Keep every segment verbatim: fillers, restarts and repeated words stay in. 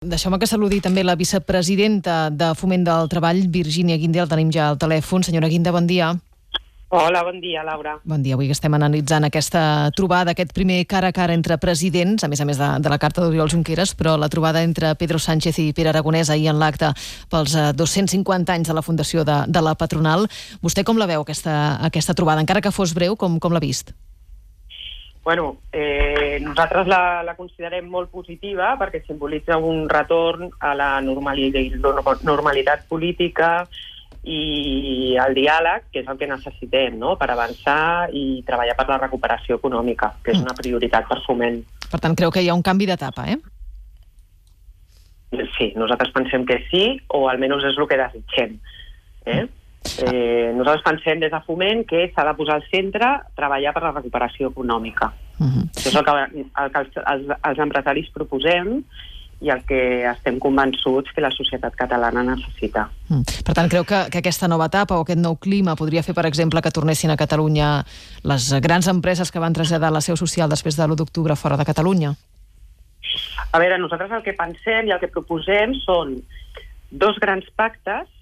Deixeu-me que saludi també la vicepresidenta de Foment del Treball, Virgínia Guinde, el tenim ja al telèfon. Senyora Guinde, bon dia. Hola, bon dia, Laura. Bon dia. Avui que estem analitzant aquesta trobada, aquest primer cara a cara entre presidents, a més a més de, de la carta d'Oriol Junqueras, però la trobada entre Pedro Sánchez i Pere Aragonès ahir en l'acte pels dos-cents cinquanta anys de la fundació de, de la patronal. Vostè com la veu, aquesta, aquesta trobada? Encara que fos breu, com, com l'ha vist? Bueno, eh, nosaltres la, la considerem molt positiva perquè simbolitza un retorn a la normalitat, normalitat política i al diàleg, que és el que necessitem, no?, per avançar i treballar per la recuperació econòmica, que és una prioritat per Foment. Per tant, creu que hi ha un canvi d'etapa, eh? Sí, nosaltres pensem que sí, o almenys és el que desitgem. Eh? Eh, nosaltres pensem des de Foment que s'ha de posar al centre treballar per la recuperació econòmica. Uh-huh. Això és el que, el que els, els, els empresaris proposem i el que estem convençuts que la societat catalana necessita. Uh-huh. Per tant, creu que, que aquesta nova etapa o aquest nou clima podria fer, per exemple, que tornessin a Catalunya les grans empreses que van traslladar la seu social després de l'u d'octubre fora de Catalunya? A veure, nosaltres el que pensem i el que proposem són dos grans pactes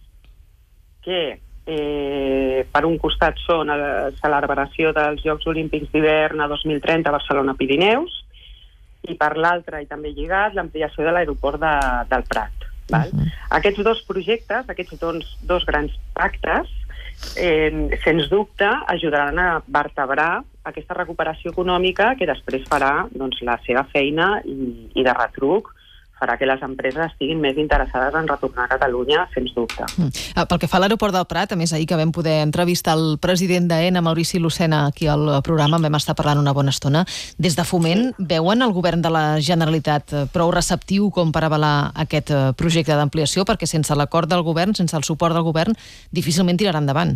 que Eh, per un costat són la celebració dels Jocs Olímpics d'hivern a dos mil trenta a Barcelona-Pirineus i per l'altre, i també lligat, l'ampliació de l'aeroport de, del Prat. Val? Uh-huh. Aquests dos projectes, aquests dos, dos grans pactes, eh, sens dubte ajudaran a vertebrar aquesta recuperació econòmica que després farà doncs, la seva feina i, i de retruc farà que les empreses estiguin més interessades en retornar a Catalunya, sens dubte. Mm. Pel que fa a l'aeroport del Prat, a més, ahir que vam poder entrevistar el president d'Aena, Maurici Lucena, aquí al programa, vam estar parlant una bona estona. Des de Foment, sí. Veuen el govern de la Generalitat prou receptiu com per avalar aquest projecte d'ampliació? Perquè sense l'acord del govern, sense el suport del govern, difícilment tirarà endavant.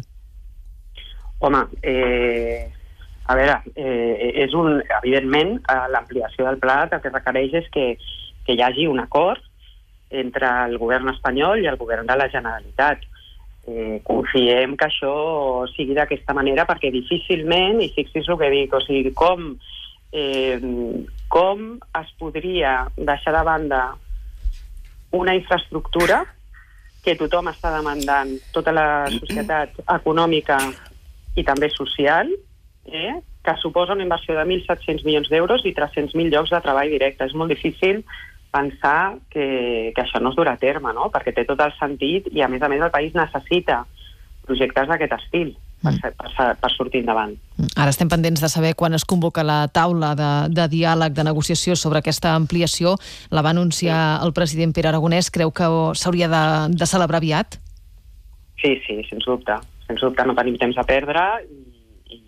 Home, eh, a veure, eh, és un, evidentment, l'ampliació del Prat el que requereix és que que hi hagi un acord entre el govern espanyol i el govern de la Generalitat. Eh, confiem que això sigui d'aquesta manera perquè difícilment, i fixis el que dic, o sigui, com, eh, com es podria deixar de banda una infraestructura que tothom està demandant, tota la societat econòmica i també social, eh, que suposa una inversió de mil set-cents milions d'euros i tres-cents mil llocs de treball directe. És molt difícil pensar que, que això no es durà a terme, no? Perquè té tot el sentit i, a més a més, el país necessita projectes d'aquest estil per, per, per sortir endavant. Ara estem pendents de saber quan es convoca la taula de, de diàleg, de negociació sobre aquesta ampliació. La va anunciar el president Pere Aragonès. Creu que s'hauria de, de celebrar aviat? Sí, sí, sens dubte. Sens dubte no tenim temps a perdre i, i,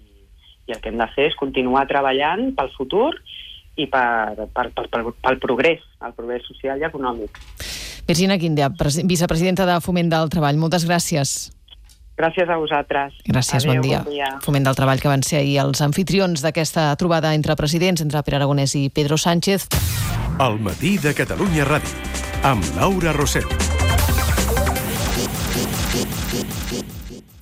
i el que hem de fer és continuar treballant pel futur i per, per, per, per, pel progrés, el progrés social i econòmic. Virgínia Guinde, vicepresidenta de Foment del Treball, moltes gràcies. Gràcies a vosaltres. Gràcies, Adéu, bon dia. bon dia. Foment del Treball, que van ser ahir els anfitrions d'aquesta trobada entre presidents, entre Pere Aragonès i Pedro Sánchez. Al matí de Catalunya Ràdio, amb Laura Rosell.